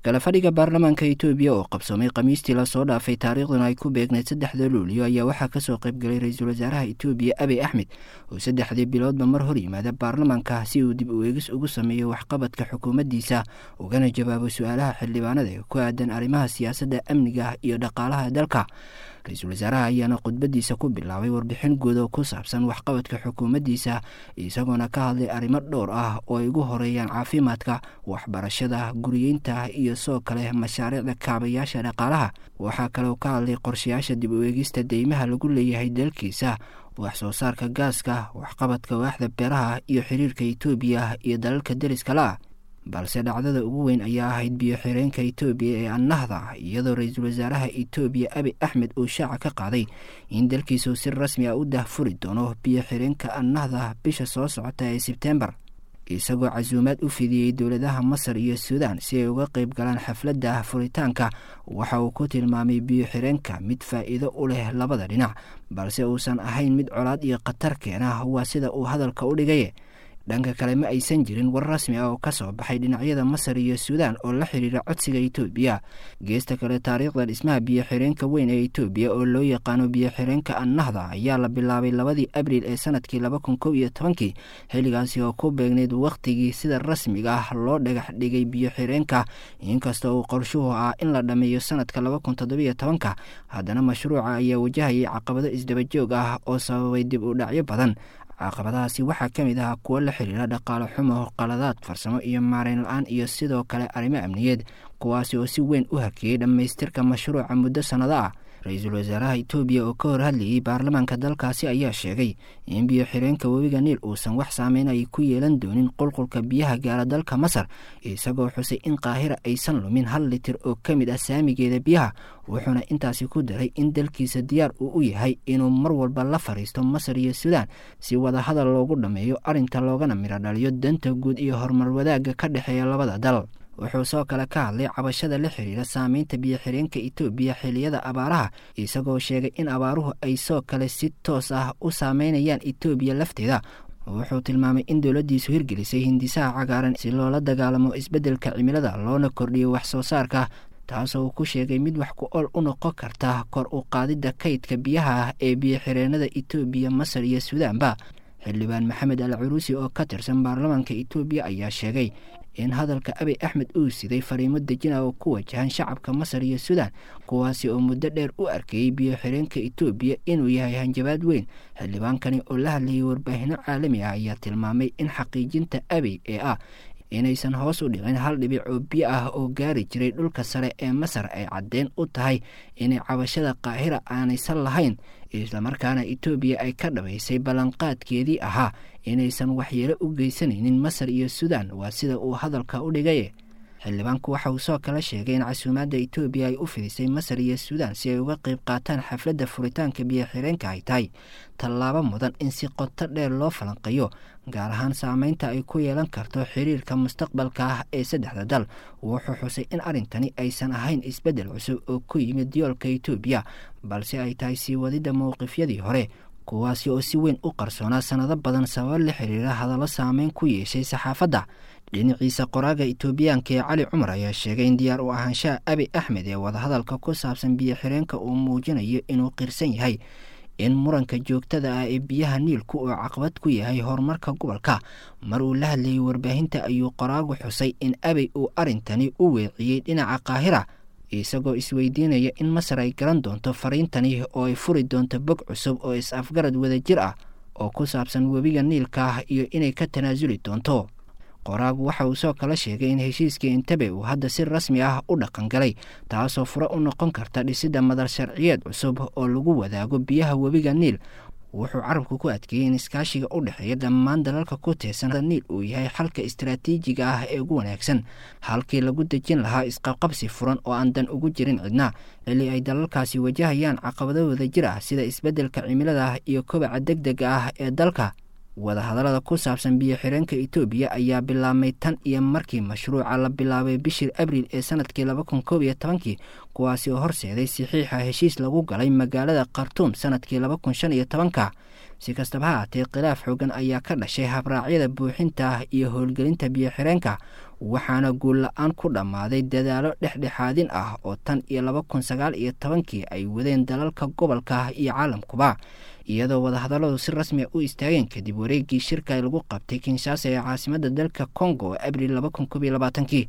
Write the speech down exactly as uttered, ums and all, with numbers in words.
Kala fadhiga baarlamaanka Itoobiya oo qabsoomay Khamiistii lasoo dhaafay, taariikhduna ay ku beegnayd saddexda Luuliyo, ayaa waxaa kasoo qaybgalay ra-iisul wasaaraha Itoobiya Abiy Axmed, oo saddexdii biloodba mar hor yimaada baarlamaanka si uu dib u eegis ugu sameeyo waxqabadka xukuumaddiisa, ugana jawaabo su-aalaha xildhibaanada ee ku aadan arrimaha siyaasadda, amniga iyo dhaqaalaha dalka. Ra-iisul wasaaraha ayaana khudbadiisa ku bilaabay warbixin guud oo ku saabsan waxqabadka xukuumaddiisa, isagoona ka hadlay arrimo dhowr ah oo ay ugu horeeyaan caafimaadka, waxbarashada, guriyeynta iyo sidoo kale mashaariicda kaabayaasha dhaqaalaha. Waxaa kaloo ka hadlay qorshayaasha dib u eegista deymaha lagu leeyahay dalkiisa, wax soo saarka gaaska, waxqabadka waaxda beeraha iyo xiriirka Itoobiya iyo dalalka deriska la-ah. Balse dhacdada ugu weyn ayaa ahayd biyo xireenka Itoobiya ee Annahda, iyadoo ra-iisul wasaaraha Itoobiya Abiy Axmed uu shaaca ka qaaday in dalkiisu si rasmi ah u dahfuri doono biyo xireenka Annahda bisha soo socota ee Sebtembar, isagoo casuumaad u fidiyey dowladaha Masar iyo Suudaan si ay uga qayb galaan xafladda furitaanka. Waxa uu ku tilmaamay biyo xireenka mid faa'iido u leh labada dhinac, balse uusan ahayn mid colaad iyo khatar keena, waa sida uu hadalka u dhigay. Dhanka kale, ma aysan jirin war rasmi ah oo ka soo baxay dhinacyada Masar iyo Suudaan oo la xiriira codsiga Itoobiya. Geesta kale, taariikhda dhismaha biyo xireenka weyn ee Itoobiya oo loo yaqaano biyo xireenka Annahda ayaa la bilaabay labadii Abriil ee sanadkii laba kun kow iyo tobankii, xilligaasi oo ku beegnayd wakhtigii sida rasmiga ah loo dhagax dhigay biyo xireenka. Inkasta uu qorshuhu ah in la dhammeeyo sanadka laba kun toddobiyo tobanka, haddana mashruuca ayaa wajahayay caqabado isdabajoog ah oo sababay dib u dhacyo badan. Caqabadahaasi waxaa ka mid ah kuwo la xiriira dhaqaale xumo, qaladaad farsamo iyo maareyn la-aan, iyo sidoo kale arrimo amniyeed, kuwaasi oo si weyn u hakiyey dhammaystirka mashruuca muddo sannado ah. Ra-iisul wasaaraha Itoobiya oo ka hor hadlayay baarlamaanka dalkaasi ayaa sheegay in biyo xireenka webiga Niil uusan wax saameyn ay ku yeelan doonin qulqulka biyaha gaara dalka Masar, isagoo xusay in Qaahira aysan lumin hal litir oo ka mid ah saamigeeda biyaha. Wuxuuna intaasi ku daray in dalkiisa diyaar uu u yahay inuu mar walba la fariisto Masar iyo Suudaan si wadahadal loogu dhammeeyo arrinta, loogana midho dhaliyo danta guud iyo horumar wadaagga ka dhexeeya labada dal. Wuxuu soo kale ka hadlay cabashada la xiriira saameynta biyo xireenka Itoobiya xilliyada abaaraha, isagoo sheegay in abaaruhu ay soo kale si toos ah u saameynayaan Itoobiya lafteeda. Wuxuu tilmaamay in dowladdiisu hirgelisay hindisaha cagaaran si loola dagaalamo isbeddelka cimilada, loona kordhiyo wax soo saarka, taasoo uu ku sheegay mid wax ku ool u noqon karta kor u qaadidda kaydka biyaha ee biyo xireenada Itoobiya, Masar iyo Suudaanba. Xildhibaan Maxamed Al Curuusi oo ka tirsan baarlamaanka Itoobiya ayaa sheegay in hadalka Abiy Axmed uu siday fariimo dejina oo ku wajahan shacabka Masar iyo Suudaan, kuwaasi oo muddo dheer u arkayey biyo xireenka Itoobiya inuu yahay hanjabaad weyn. Xildhibaankani oo la hadlayay warbaahino caalami ah ayaa tilmaamay in xaqiijinta Abiy ee ah inaysan hoos u dhicin hal dhibic oo biyo ah oo gaari jiray dhulka sare ee Masar ay caddeyn u tahay inay cabashada Qaahira aanaysan lahayn, islamarkaana Itoobiya ay ka dhabaysay ballanqaadkeedii ahaa inaysan waxyeelo u geysanaynin Masar iyo Suudaan, waa sida uu hadalka u dhigay. Xildhibaanku waxa uu soo kale sheegay in casuumaadda Itoobiya ay u fidisay Masar iyo Suudaan si ay uga qayb qaataan xafladda furitaanka biyo xireenka ay tahay tallaabo mudan in si qoto dheer loo falanqeeyo, gaar ahaan saameynta ay ku yeelan karto xiriirka mustaqbalka ah ee saddexda dal. Wuxuu xusay in arrintani aysan ahayn isbeddel cusub oo ku yimid yoolka Itoobiya, balse ay tahay sii wadidda mowqifyadii hore, kuwaasi oo si weyn u qarsoonaa sannado badan sababo la xiriira hadallo saameyn ku yeeshay saxaafadda. Dhinaciisa, qoraaga Itoobiyaanka ee Cali Cumar ayaa sheegay in diyaar u ahaanshaha Abiy Axmed ee wadahadalka ku saabsan biyo xireenka uu muujinayo inuu qirsan yahay in muranka joogtada ah ee biyaha Niilku uu caqabad ku yahay horumarka gobolka. Mar uu la hadlayay warbaahinta ayuu qoraagu xusay in Abiy uu arrintani u weeciyey dhinaca Qaahira, isagoo isweydiinaya in Masar ay garan doonto fariintani oo ay furi doonto bog cusub oo is-afgarad wadajir ah oo ku saabsan webiga Niilka iyo inay ka tanaasuli doonto. Qoraagu waxa uu soo kala sheegay in heshiiskii Entebbe uu hadda si rasmi ah u dhaqan galay, taasoo fure u noqon karta dhisidda madal sharciyeed cusub oo lagu wadaago biyaha webiga Niil. Wuxuu carabku ku adkeeyey in iskaashiga u dhexeeya dhammaan dalalka ku teersan Niil uu yahay xalka istaraatiijiga ah ee ugu wanaagsan, halkii lagu dejin lahaa isqabqabsi furan oo aan dan ugu jirin cidna, xilli ay dalalkaasi wajahayaan caqabado wadajir ah sida isbeddelka cimilada iyo kobaca degdega ah ee dalka. Wadahadallada ku saabsan biyo xireenka Itoobiya ayaa bilaabmay tan iyo markii mashruuca la bilaabay bishii Abriil ee sanadkii laba kun koob iyo tobankii, kuwaasi oo horseeday saxiixa heshiis lagu galay magaalada Khartuum sanadkii laba kun shan iyo tobanka. Si kastaba ha haatee, khilaaf xoogan ayaa ka dhashay habraacyada buuxinta iyo howlgelinta biyo xireenka, Waxaana guul la-aan ku dhammaaday dadaalo dhexdhexaadin ah oo tan iyo laba kun sagaal iyo tobankii ay wadeen dalalka gobolka iyo caalamkuba, iyadoo wadahadalladu si rasmi u istaageen kadib wareegii shirka lagu qabtay Kinshasa ee caasimadda dalka Congo abril laba kun koob iyo labaatankii.